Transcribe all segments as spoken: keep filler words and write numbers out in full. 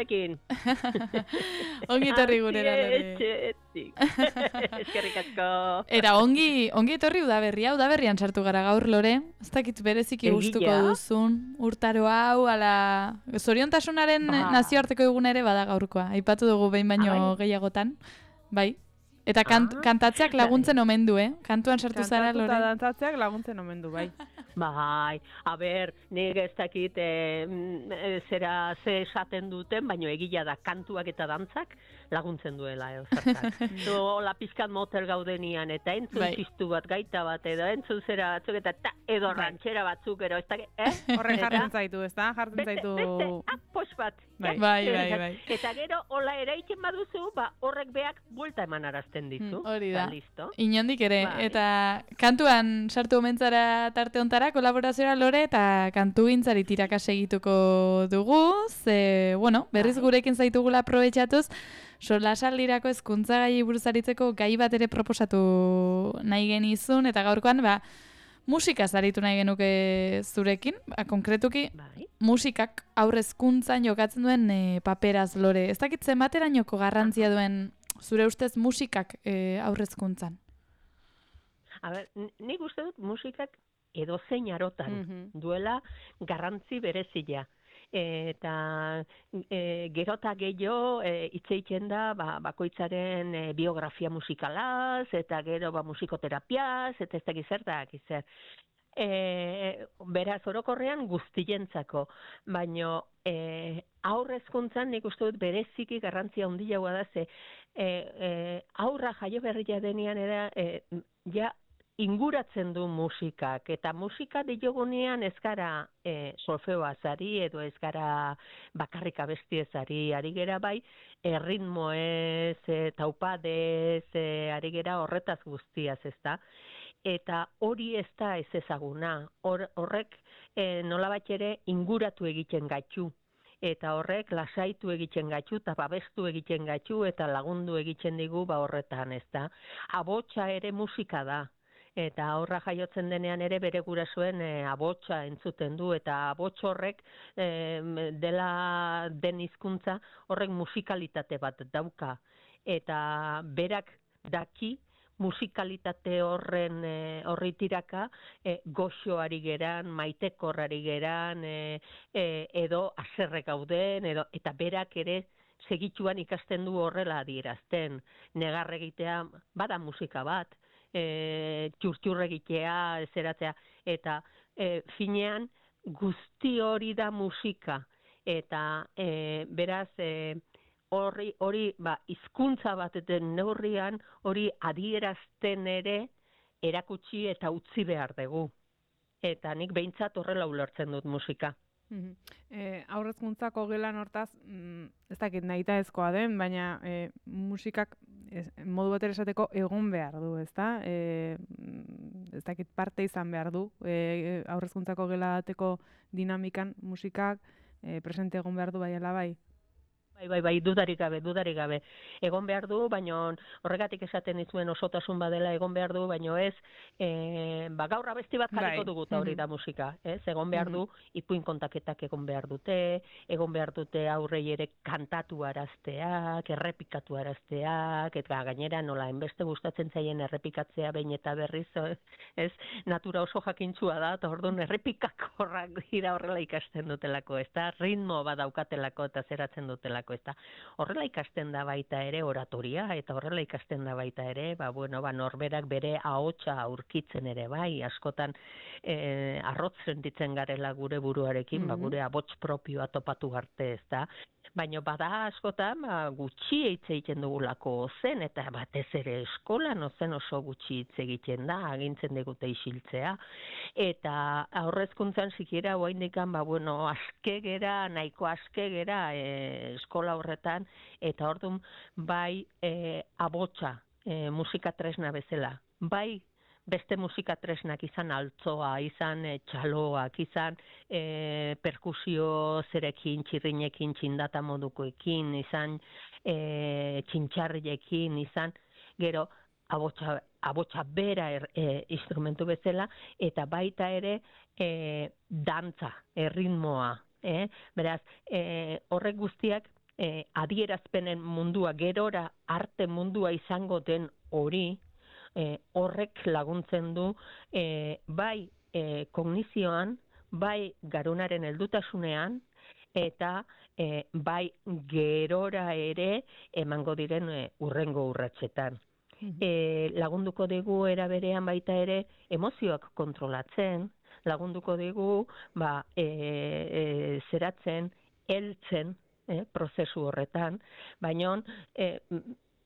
zurekin. Ongi etorri gurera, Lore. Etxetik. Eskerrik asko. Eta ongi, ongi etorri udaberria, udaberrian sartu gara gaur, Lore. Ez dakit bereziki Egia? gustuko duzun. Urtaro hau, ala... Zoriontasunaren Ba. nazioarteko egun ere bada gaurkoa. Aipatu dugu behin baino Ah, bai? gehiagotan. Bai. Eta kant, Ah, kantatzeak laguntzen omen du, eh? Kantuan sartu zara, Kantatu eta Lore. dantzatzeak laguntzen omen du, bai. Bai, a ber, nik ez dakit eh, mm, eh, zera ze esaten duten, baino egia da kantuak eta dantzak laguntzen duela edo zertak. Zu hola pizkat motel gaudenian eta entzun Bai. txistu bat, gaita bat edo entzun zera batzuk eta ta, edo rantxera batzuk ero, ez dakit, eh? Horrek Eta jartzen zaitu, ez da? Jartzen beste, zaitu... beste, ah, pos bat. Bai. Ja, Bai, eh, bai, bai. Eta gero, hola eraitzen baduzu, ba, horrek beak buelta eman arazten dizu. Hmm, hori da. Eta listo. Inondik ere, Bai. eta kantuan sartu omentzara tarte hontara, kolaborazioa Lore, eta kantu gintzari tiraka segituko dugu, ze, bueno, berriz Bai. gurekin zaitugula aprobetxatuz, solasaldirako hezkuntza gai buruz aritzeko gai bat ere proposatu nahi genizun, eta gaurkoan, ba, musikaz aritu nahi genuke zurekin, ba, konkretuki, Bai. musikak aurrezkuntzan jokatzen duen e, paperaz, Lore. Ez dakit zenbaterainoko garrantzia duen zure ustez musikak e, aurrezkuntzan? A ber, n- nik uste dut musikak edozein arotan Mhm. duela garrantzi berezia. Eta e, gero eta gehiago e, hitz egiten da ba, bakoitzaren e, biografia musikalaz, eta gero ba, musikoterapiaz, eta ez dakit zertak izer. E, beraz, orokorrean guztientzako, baino e, aurrezkuntzan nik uste dut bereziki garrantzia handiagoa da, ze e, e, aurra jaio berria denean era, e, ja inguratzen du musikak, eta musika diogunean ez gara e, solfeoaz ari, edo ez gara bakarrik abestiez ari, ari gera bai, erritmoez, e, taupadez, e, ari gera horretaz guztiaz, ez da? Eta hori ez da ez ezaguna, Hor, horrek e, nolabait ere inguratu egiten gaitu. Eta horrek lasaitu egiten gaitu, eta babestu egiten gaitu, eta lagundu egiten digu ba horretan, ez da? Abotsa ere musika da. Eta aurra jaiotzen denean ere bere gurasoen e, abotsa entzuten du, eta abots horrek e, dela den hizkuntza horrek musikalitate bat dauka. Eta berak daki musikalitate horren e, horri tiraka e, goxoari geran, maitekorrari geran, e, e, edo haserre gauden, edo, eta berak ere segituan ikasten du horrela adierazten. Negar egitea bada musika bat, e, txurtxur egitea, zeratzea, eta e, finean guzti hori da musika. Eta e, beraz, e, hori, hori ba, hizkuntza bat den neurrian, hori adierazten ere erakutsi eta utzi behar dugu. Eta nik behintzat horrela ulertzen dut musika. Mhm. E, aurrezkuntzako gelan hortaz, mm, ez dakit nahita ezkoa den, baina e, musikak ez, modu batera esateko egon behar du, ez da? E, mm, ez dakit parte izan behar du, e, aurrezkuntzako gela bateko dinamikan musikak e, presente egon behar du bai ala bai. Bai, bai, bai, dudarik gabe, dudarik gabe. Egon behar du, baino horregatik esaten dizuen osotasun badela egon behar du, baino ez, e, ba, gaur abesti bat jarriko Bai. dugu eta hori Mhm. da musika, ez? Egon behar du, ipuin kontaketak egon behar dute, egon behar dute aurrei ere kantatu arazteak, errepikatu arazteak, eta gainera nola, enbeste gustatzen zaien errepikatzea behin eta berriz, ez? Natura oso jakintzua da, eta orduan errepikakorrak dira horrela ikasten dutelako, ez da? Ritmo bat daukatelako eta zeratzen dutelako. Eta horrela ikasten da baita ere oratoria, eta horrela ikasten da baita ere, ba, bueno, ba, norberak bere ahotsa aurkitzen ere bai, askotan e, arrotz sentitzen garela gure buruarekin, ba, gure abots propioa topatu arte, ez da. Baina bada askotan ba, gutxi hitz egiten dugulako zen, eta batez ere eskolan ozen oso gutxi hitz egiten da, agintzen digute isiltzea. Eta aurrezkuntzan sikiera oraindikan ba bueno, aske gera, nahiko aske gera e, eskola horretan, eta ordun bai e, abotsa e, musika tresna bezala. Bai beste musika tresnak izan altzoa, izan e, txaloak, izan e, perkusio zerekin, txirrinekin, txindata modukoekin, izan e, txintxarriekin, izan gero abotsa, abotsa bera er, e, instrumentu bezala, eta baita ere e, dantza, erritmoa. Eh? Beraz, e, horrek guztiak e, adierazpenen mundua, gerora arte mundua izango den hori, e, horrek laguntzen du e, bai e, kognizioan, bai garunaren heldutasunean, eta e, bai gerora ere emango diren e, urrengo urratsetan. E, lagunduko digu era berean baita ere emozioak kontrolatzen, lagunduko digu ba, e, e, zeratzen, heltzen e, prozesu horretan, baina e,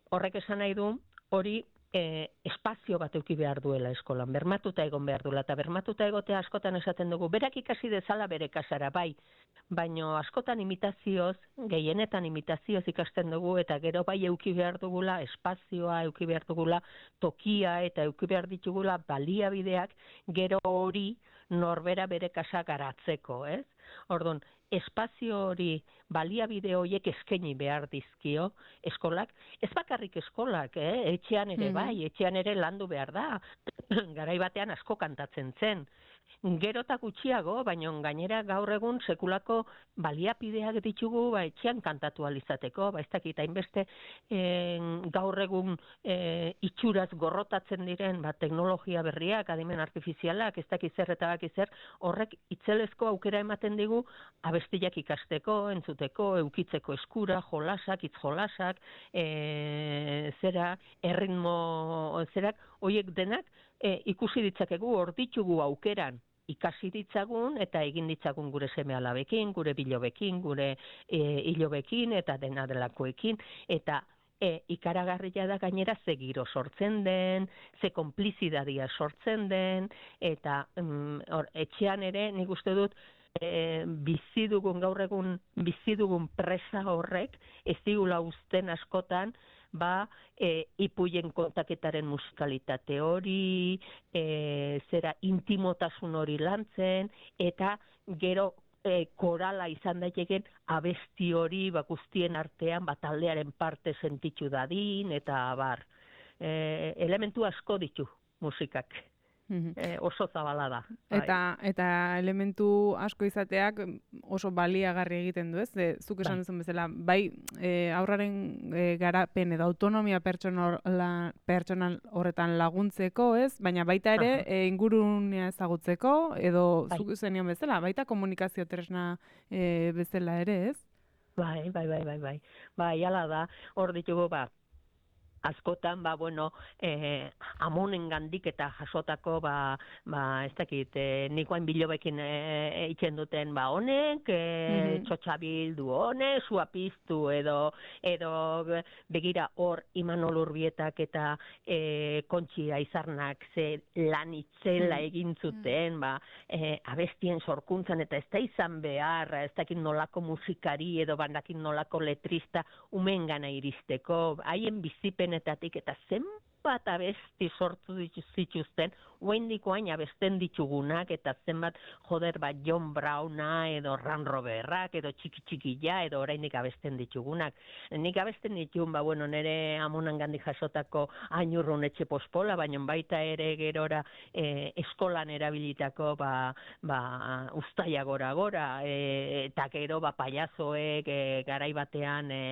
horrek esan nahi du hori e, espazio bat eduki behar duela eskolan, bermatuta egon behar duela, eta bermatuta egotea askotan esaten dugu, berak ikasi dezala bere kasara, bai, baino askotan imitazioz, gehienetan imitazioz ikasten dugu, eta gero bai eduki behar dugula espazioa, eduki behar dugula tokia, eta eduki behar ditugula baliabideak, gero hori norbera bere kasa garatzeko, ez? Orduan, espazio hori, baliabide horiek eskaini behar dizkio eskolak, ez bakarrik eskolak, eh? Etxean ere bai, etxean ere landu behar da, garai batean asko kantatzen zen, gero eta gutxiago, baina gainera gaur egun sekulako baliapideak ditugu ba, etxean kantatu alizateko, ba, ez dakit, hainbeste e, gaur egun e, itxuraz gorrotatzen diren ba, teknologia berriak, adimen artifizialak, ez dakit zer eta baki zer, horrek itzelezko aukera ematen digu abestiak ikasteko, entzuteko, eukitzeko eskura, jolasak, hitz jolasak, e, zera, erritmo, zerak, horiek denak e, ikusi ditzakegu, hor ditugu aukeran, ikasi ditzagun eta egin ditzagun gure seme-alabekin, gure bilobekin, gure e, hilobekin eta dena delakoekin, eta e, ikaragarria da gainera ze giro sortzen den, ze konplizidadia sortzen den, eta mm, or, etxean ere nik uste dut e, bizi dugun, gaur egun bizi dugun presa horrek, ez digula uzten askotan, ba, e, ipuien kontaketaren musikalitate hori, e, zera intimotasun hori lantzen, eta gero e, korala izan daiteken abesti hori ba, guztien artean ba, taldearen parte sentitu dadin, eta bar, e, elementu asko ditu musikak. E, oso zabala da. Eta, eta elementu asko izateak oso baliagarri egiten du, ez? E, zuk esan duzun bezala, bai e, aurraren e, garapen edo autonomia pertsonal, pertsonal horretan laguntzeko, ez? Baina baita ere e, ingurunea ezagutzeko, edo bai. Zuk zenion bezala, baita komunikazio tresna e, bezala ere, ez? Bai, bai, bai, bai, bai. Bai, ala da, hor ditugu, ba, askotan, ba, bueno, eh, amonen gandik eta jasotako, ba, ba ez dakit, eh, nikoain bilobekin eh, eitzen duten, ba, honek, eh, mm-hmm. txotxabildu honek, suapiztu, edo, edo begira hor Imanol Urbietak eta eh, Kontxi Aizarnak ze lan itzela egin zuten, ba, eh, abestien sorkuntzan, eta ez da izan behar, ez dakit nolako musikari, edo bandakit nolako letrista, umengana iristeko, haien bizipen etatik eta zenbat abesti sortu zituzten, oaindiko hain abesten ditugunak, eta zenbat joder bat John Browna, edo Ran Roberrak, edo Txiki Txikilla, edo oraindik abesten ditugunak. Nik abesten ditugun, ba, bueno, nire amonan gandik jasotako Ainurrun etxe pospola, baina baita ere gerora e, eskolan erabilitako, ba, ba, ustaia gora gora, e, eta gero, ba, payasoek e, garai batean e,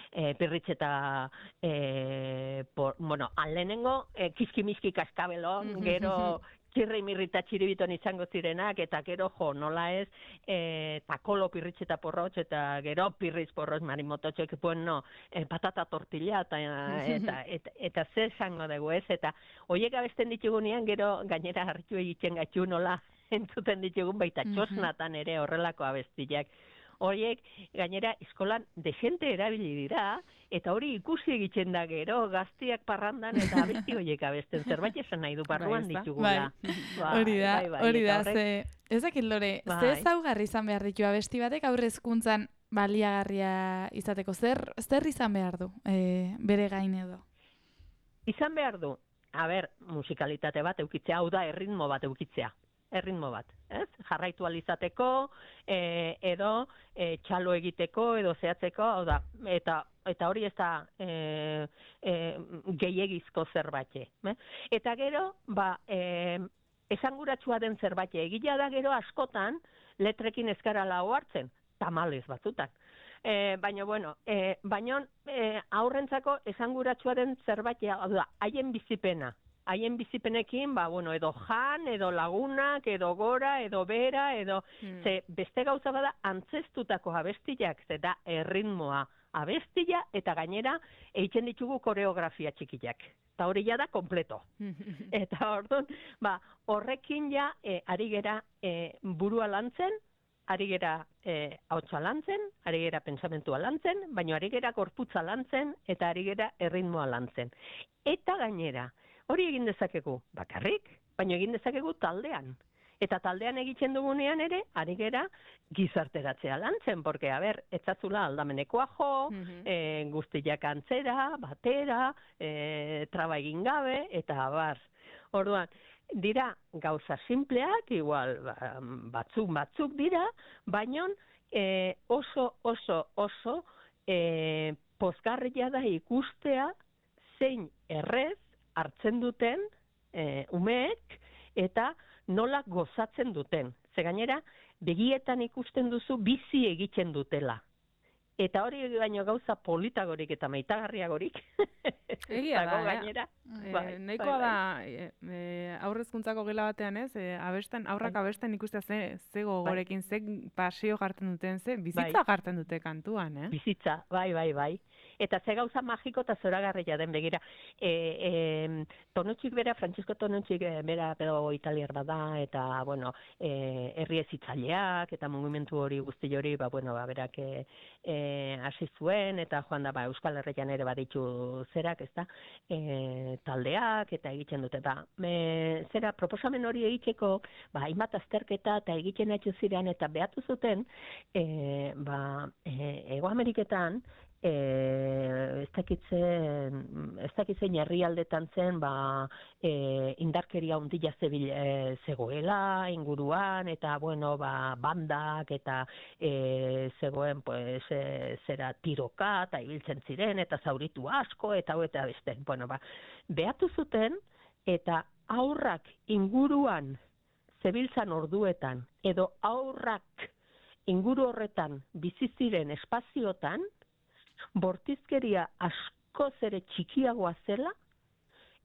e, pirritxeta e, por, bueno, alenengo e, kiskimiski kaskabelon, gero txirri mirrita txiribiton izango zirenak, eta gero jo, nola ez, e, takolo pirritxeta porrotx, eta gero pirritz porrotx marimototxek, bueno, e, patata tortilla, eta, eta, eta, eta ze esango dugu ez, eta horiek abesten ditugunean, gero gainera hartu egiten gatxu nola entzuten ditugun, baita txosnatan ere horrelako abestiak. Horiek, gainera, eskolan desente erabili dira, eta hori ikusi egiten da gero, gaztiak parrandan, eta abesti horiek abesten, zerbait esan nahi du barruan ditugula. Hori da, hori da, ze, ez dakit Lore, ze ezaugarri izan behar ditu abesti batek aurre hezkuntzan baliagarria izateko, zer, zer izan behar du, e, bere gain edo? Izan behar du, a ber, musikalitate bat eukitzea, hau da, erritmo bat eukitzea. erritmo bat, ez? Jarraitu alizateko, e, edo e, txalo egiteko, edo zehatzeko, hau da, eta, eta hori ez da e, e, gehiegizko zerbait. Eh? Eta gero, ba, e, esanguratsua den zerbait, egila da gero askotan, letrekin ezkarala ohartzen, tamalez batzutan. E, baina, bueno, e, baina e, aurrentzako esanguratsua den zerbait, da, haien bizipena. Haien bizipenekin, ba, bueno, edo jan, edo lagunak, edo gora, edo bera, edo... Hmm. Ze beste gauza bada antzestutako abestiak, ze da erritmoa abestia, eta gainera egiten ditugu koreografia txikiak. Eta hori ja da kompleto. Eta orduan, ba, horrekin ja e, ari gera e, burua lantzen, ari gera e, hautsa lantzen, ari gera pensamentua lantzen, baina ari gera gorputza lantzen, eta ari gera erritmoa lantzen. Eta gainera, hori egin dezakegu bakarrik, baina egin dezakegu taldean. Eta taldean egiten dugunean ere, ari gera gizarteratzea lantzen, porque, a ber, etzatzula aldamenekoa jo, mm-hmm. e, guztiak antzera, batera, e, traba egin gabe, eta bar. Orduan, dira gauza simpleak, igual batzuk batzuk dira, baina e, oso, oso, oso e, pozgarria da ikustea zein errez hartzen duten e, umeek eta nola gozatzen duten. Ze gainera, begietan ikusten duzu bizi egiten dutela. Eta hori baino gauza politagorik eta maitagarriagorik. Egia da, gainera. Eh? Bai, e, Neikoa da, e, e, aurrezkuntzako gela batean ez, e, abesten, aurrak bai. Abesten ikustea ze, ze gogorekin, bai. Ze pasio jartzen duten, ze bizitza bai. Jartzen dute kantuan, eh? Bizitza, bai, bai, bai. Eta ze gauza magiko eta zoragarria den begira. E, e, Tonutxik bera, Francisco Tonutxik bera pedagogo italiar bada, eta, bueno, e, herri hezitzaileak, eta mugimendu hori guzti hori, ba, bueno, ba, berak e, e, hasi zuen, eta joan da, ba, Euskal Herrian ere baditu zerak, ez da, e, taldeak, eta egiten dute, ba, e, zera, proposamen hori egiteko, ba, hainbat azterketa, eta egiten haitu ziren, eta behatu zuten, e, ba, e, Ego Ameriketan, E, ez dakitzen, ez dakitzen herrialdetan zen, ba, e, indarkeria hundila zebil, e, zegoela inguruan, eta, bueno, ba, bandak, eta e, zegoen, pues, e, zera tiroka, eta ibiltzen ziren, eta zauritu asko, eta hau eta beste. Bueno, ba, behatu zuten, eta aurrak inguruan zebiltzan orduetan, edo aurrak inguru horretan bizi ziren espaziotan, bortizkeria askoz ere txikiagoa zela,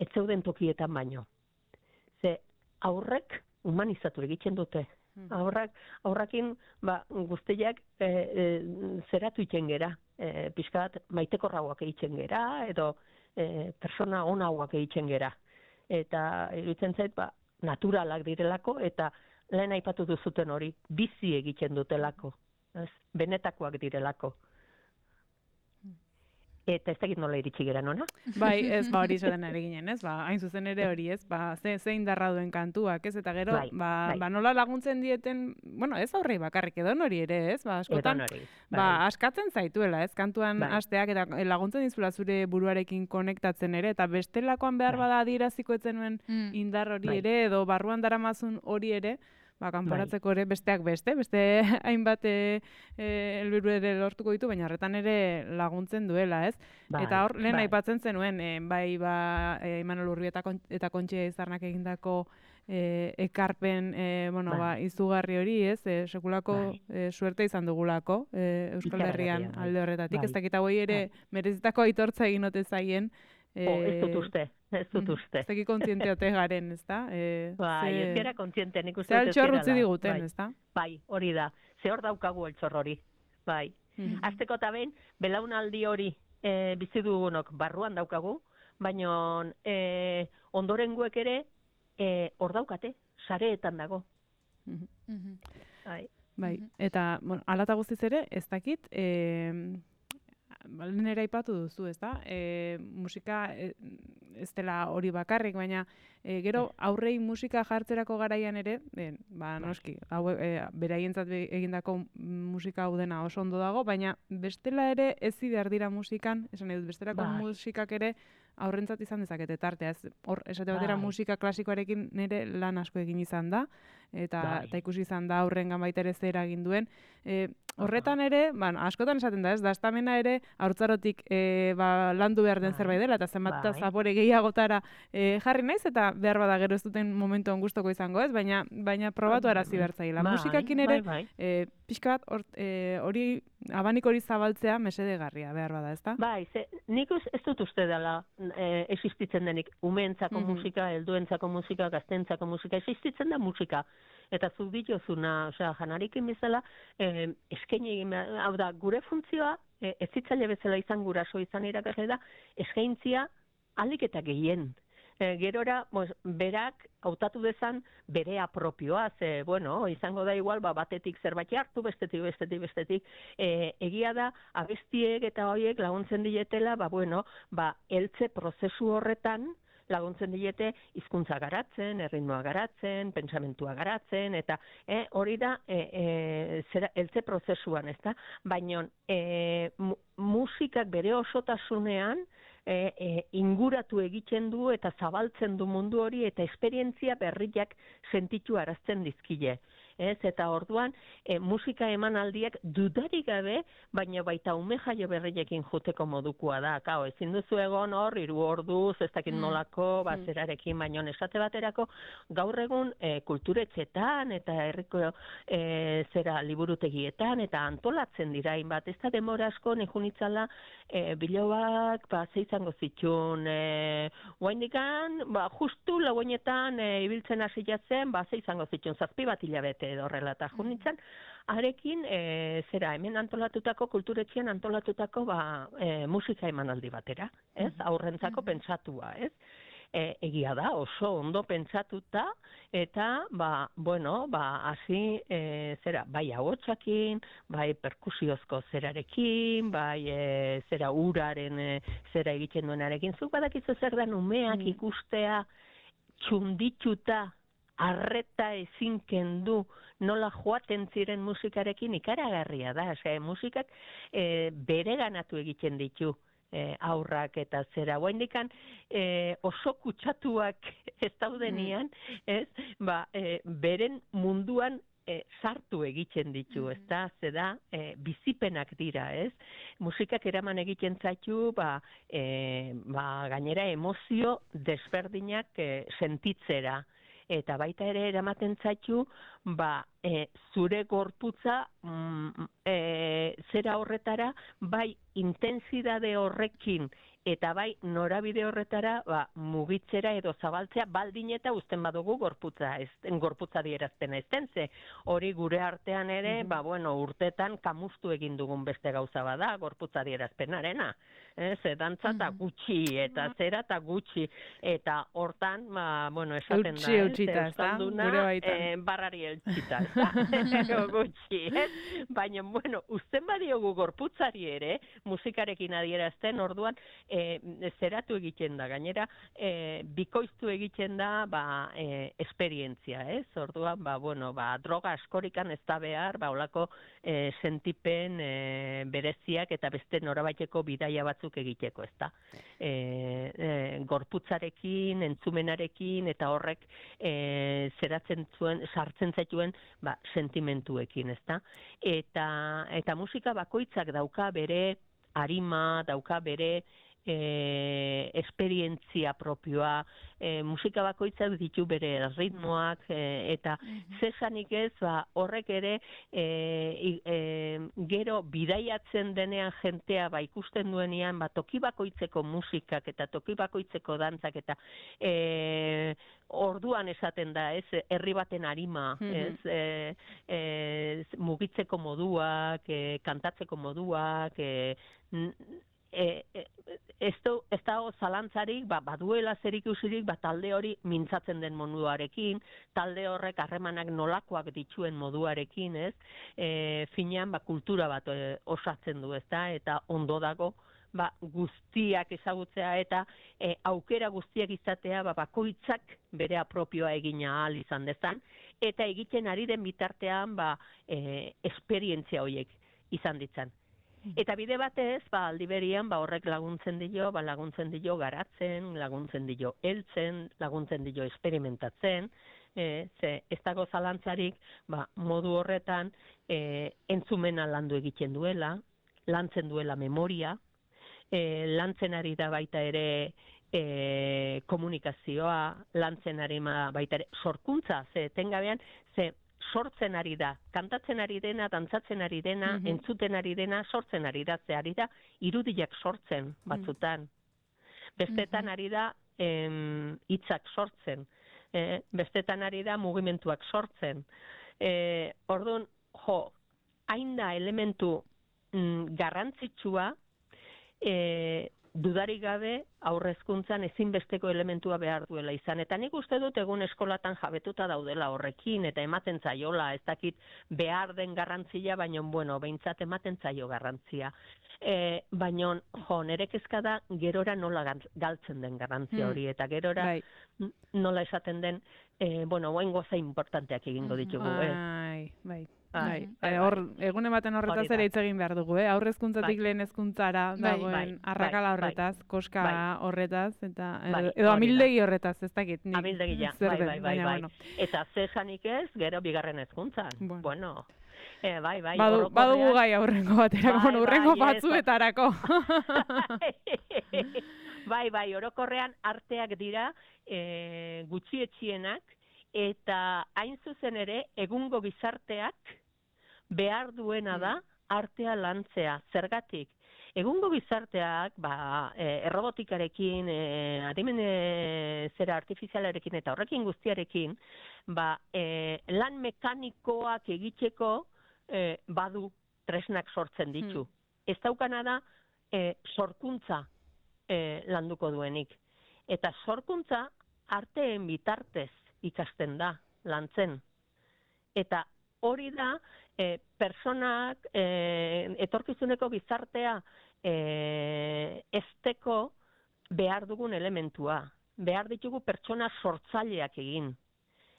ez zeuden tokietan baino. Ze aurrek humanizatu egiten dute. Aurrak, aurrakin ba, guztiak e, e, zeratu iten gera. E, pixka bat maitekorrauak egiten gera, edo e, persona onauak egiten gera. Eta iruditzen zait, ba, naturalak direlako, eta lehen aipatu duzuten hori, bizi egiten dutelako. Ez? Benetakoak direlako. Eta ez dakit nola iritsi gera, nona? Bai, ez, ba, hori zodan ere ginen, ez? Ba, hain zuzen ere hori, ez? Ba, ze, ze indarra duen kantuak, ez? Eta gero, bai, ba, bai. ba, nola laguntzen dieten, bueno, ez aurrei bakarrik, edon hori ere, ez? Ba, askotan, hori, bai. Ba, askatzen zaituela, ez? Kantuan bai. Asteak eta laguntzen dizula zure buruarekin konektatzen ere, eta bestelakoan behar bai. Bada adieraziko etzen nuen mm. indar hori bai. Ere, edo barruan daramazun hori ere, ba, kanporatzeko ere besteak beste, beste hainbat helburu e, ere lortuko ditu, baina horretan ere laguntzen duela, ez? Bai, eta hor, lehen bai. Aipatzen zenuen, e, bai, ba, e, Imanol Urbi eta, kon, eta Kontxe Izarnak egindako e, ekarpen, e, bueno, bai. Ba, izugarri hori, ez? E, sekulako bai. E, suerte izan dugulako, e, Euskal Herrian bai. Alde horretatik, bai. Ez dakita hoi ere bai. Merezitako aitortza egin ote zaien, E, oh, ez dut uste, ez dut uste. Ez dakit kontzienteote garen, ez da? E, bai, ze... ez gara kontziente, nik uste dut ez gara. Ze altxor utzi diguten, bai. Ez da? Bai, hori da. Ze hor daukagu altxor hori. Bai. Mm-hmm. Azteko eta behin, belaunaldi hori e, bizi dugunok barruan daukagu, baina e, ondorengoek ere hor e, daukate, sareetan dago. Mm-hmm. Bai. Bai, eta, bueno, alata guztiz ere, ez dakit, e, lehen ere aipatu duzu, ez da? E, musika e, ez dela hori bakarrik, baina e, gero aurrei musika jartzerako garaian ere, e, ba, noski, hau, e, beraientzat egindako musika hau dena oso ondo dago, baina bestela ere ezi behar dira musikan, esan edut, bestelako bai. Musikak ere aurrentzat izan dezakete tartea. Hor, esate batera bai. Musika klasikoarekin nire lan asko egin izan da, eta, bai. Eta ikusi izan da aurrengan baita ere zer egin duen. E, horretan ere, ba, askotan esaten da ez, daztamena ere haurtzarotik e, ba, landu behar den bai. Zerbait dela, eta zenbat bai. Zapore gehiagotara e, jarri naiz, eta behar bada gero ez duten momentu gustoko izango ez, baina, baina probatu arazi behar zaila. Bai. Musikakin ere, bai, bai. E, pixka bat, hori abanik hori zabaltzea mesedegarria behar bada, ezta? Bai, ze, nik uz, ez dut uste dela e, existitzen denik umeentzako Mhm. musika, helduentzako musika, gaztentzako musika, existitzen da musika. Eta zuk dituzuna, osea, janarikin bezala, e, eskaini egin behar, hau da, gure funtzioa, e, ez zitzaile bezala izan guraso izan irakasle da, eskaintzia ahalik eta gehien. E, gerora, pues, berak hautatu dezan berea propioa, ze, bueno, izango da igual, ba, batetik zerbait hartu, bestetik, bestetik, bestetik, e, egia da, abestiek eta horiek laguntzen dietela, ba, bueno, ba, heltze prozesu horretan, laguntzen diete hizkuntza garatzen, erritmoa garatzen, pentsamentua garatzen, eta e, hori da e, e, zera, heltze prozesuan, ezta? Baina e, mu, musikak bere osotasunean, E, e, inguratu egiten du eta zabaltzen du mundu hori eta esperientzia berriak sentitu arazten dizkile. Ez? Eta orduan, e, musika emanaldiak dudarik gabe, baina baita ume jaio berriekin joteko modukoa da. Kao, ezin duzu egon hor, hiru orduz, ez dakit nolako, bazerarekin, baina esate baterako, gaur egun e, kulturetxetan eta herriko e, zera liburutegietan eta antolatzen dira, bat ez da demora asko nijunitzala e, bilobak, ba, ze izango zitun, e, guaindikan, ba, justu lauenetan e, ibiltzen hasi jatzen, ba, ze izango zitun, zazpi bat hilabete edo horrela eta junitzen, arekin, e, zera, hemen antolatutako, kulturetxean antolatutako, ba, e, musika emanaldi batera, ez? Aurrentzako pentsatua, ez? E, egia da, oso ondo pentsatuta, eta, ba, bueno, ba, hasi, e, zera, bai ahotsakin, bai perkusiozko zerarekin, bai, e, zera, uraren, e, zera egiten duenarekin, zuk badakizu zer da umeak ikustea, txundituta, arreta ezin kendu, nola joaten ziren musikarekin ikaragarria da. Ose, musikak e, bere ganatu egiten ditu e, aurrak eta zera. Guaindikan e, oso kutsatuak ez daudenian, ez? Ba, e, beren munduan e, sartu egiten ditu, ez da? Zeda, e, bizipenak dira, ez? Musikak eraman egiten zaitu, ba, e, ba, gainera emozio desberdinak e, sentitzera. Eta baita ere eramaten zaitu, ba, e, zure gorputza mm, e, zera horretara, bai intensidade horrekin, eta bai norabide horretara ba, mugitzera edo zabaltzea baldin eta uzten badugu gorputza, ez, gorputza dierazpena ezten, ze hori gure artean ere, mm-hmm. ba, bueno, urtetan kamustu egin dugun beste gauza bada, gorputza dierazpenarena. Ez, dantza eta gutxi, eta zera eta gutxi, eta hortan, ba, bueno, esaten da, ez, euskalduna, eh, barrari eltsita, eta gutxi, ez? Baina, bueno, uzten badiogu gorputzari ere, musikarekin adierazten, orduan, eh, zeratu egiten da, gainera, eh, bikoiztu egiten da, ba, eh, esperientzia, ez? Orduan, ba, bueno, ba, droga askorikan ez da behar, ba, olako eh, sentipen eh, bereziak eta beste norabaiteko bidaia batzuk egiteko, ez da. E, e, gorputzarekin, entzumenarekin, eta horrek e, zeratzen zuen, sartzen zaituen, ba, sentimentuekin, ez da. Eta, eta musika bakoitzak dauka bere arima, dauka bere e, esperientzia propioa, e, musika bakoitzak ditu bere ritmoak, e, eta mm-hmm. zesanik ez, ba, horrek ere e, e, gero bidaiatzen denean jentea ba, ikusten duenean, ba, toki bakoitzeko musikak eta toki bakoitzeko dantzak eta e, orduan esaten da, ez, herri baten arima, mm-hmm. ez, e, e, mugitzeko moduak, e, kantatzeko moduak, e, E, e, ez dago zalantzarik, ba, baduela zerikusirik, ba, talde hori mintzatzen den moduarekin, talde horrek harremanak nolakoak dituen moduarekin, ez? E, finean, ba, kultura bat e, osatzen du, ez da? Eta ondo dago, ba, guztiak ezagutzea eta e, aukera guztiak izatea, ba, bakoitzak bere apropioa egina ahal izan dezan, eta egiten ari den bitartean, ba, e, esperientzia horiek izan ditzan. Eta bide batez, ba, aldi berian, ba, horrek laguntzen dio, ba, laguntzen dio garatzen, laguntzen dio heltzen, laguntzen dio experimentatzen, e, ze ez dago zalantzarik, ba, modu horretan e, entzumena landu egiten duela, lantzen duela memoria, e, lantzen ari da baita ere e, komunikazioa, lantzen ari baita ere sorkuntza, ze tengabean, ze sortzen ari da. Kantatzen ari dena, dantzatzen ari dena, Mhm. entzuten ari dena, sortzen ari da. Ze ari da, irudiak sortzen batzutan. Bestetan Mhm. ari da, em, hitzak sortzen. Eh, bestetan ari da, mugimenduak sortzen. Eh, orduan, jo, hain da elementu mm, garrantzitsua, e, dudarik gabe aurrezkuntzan ezinbesteko elementua behar duela izan. Eta nik uste dut egun eskolatan jabetuta daudela horrekin, eta ematen zaiola, ez dakit behar den garrantzia, baina, bueno, behintzat ematen zaio garrantzia. E, baina, jo, nire kezka da, gerora nola galtzen den garrantzia hori, eta gerora Bai. nola esaten den, e, bueno, oain goza importanteak egingo ditugu, ez? Bai, bai. Bai, Bai, bai, hor, bai. egun ematen horretaz Hori da. ere hitz egin behar dugu, eh? Aurrezkuntzatik Bai. lehen hezkuntzara Bai, dagoen bai, arrakala bai, horretaz, koska bai. horretaz, eta Bai, edo, edo hori da. amildegi horretaz, ez dakit. nik Amildegia, zer bai, den, bai, bai, baina, bai. bueno. Eta zesanik ez, gero bigarren hezkuntzan. Bueno. Bueno. Eh, bai, bai, Badu, orokorrean- badugu gai aurrengo baterako, Bai, bueno, urrengo bai, ez, batzuetarako. bai, bai, orokorrean arteak dira e, gutxietxienak, eta hain zuzen ere, egungo gizarteak behar duena da artea lantzea. Zergatik? Egungo gizarteak, ba, e, errobotikarekin, e, adimen e, zera artifizialarekin eta horrekin guztiarekin, ba, e, lan mekanikoak egiteko e, badu tresnak sortzen ditu. Ez daukana da, e, sorkuntza e, landuko duenik. Eta sorkuntza arteen bitartez ikasten da, lantzen. Eta hori da, e, personak, e, etorkizuneko gizartea e, esteko behar dugun elementua. Behar ditugu pertsona sortzaileak egin.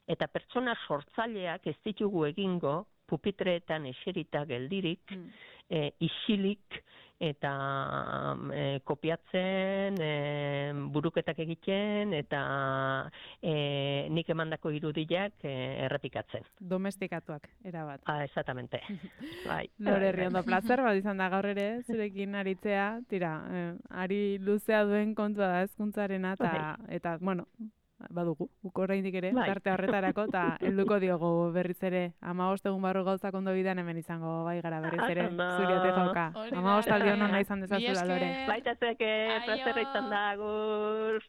Eta pertsona sortzaileak ez ditugu egingo, pupitreetan eserita geldirik, e, isilik, eta e, kopiatzen, e, buruketak egiten, eta e, nik emandako irudiak e, errepikatzen. Domestikatuak, erabat. Ah, exactamente. Bai. Lore Herriondo, placer bat izan da gaur ere, zurekin aritzea, tira, eh, ari luzea duen kontua da hezkuntzarena, eta, eta, bueno, badugu, guk oraindik ere, Bai. tarte horretarako, eta helduko diogu berriz ere, hamabost egun barru gauzak ondo bidean hemen izango bai gara berriz ere, Ondo. zuriote jauka. Hori da, Hamabost aldion Lore. ona izan Mila dezazula, Lore. esker. Baita zeke, Aio. plazerra izan da, agur.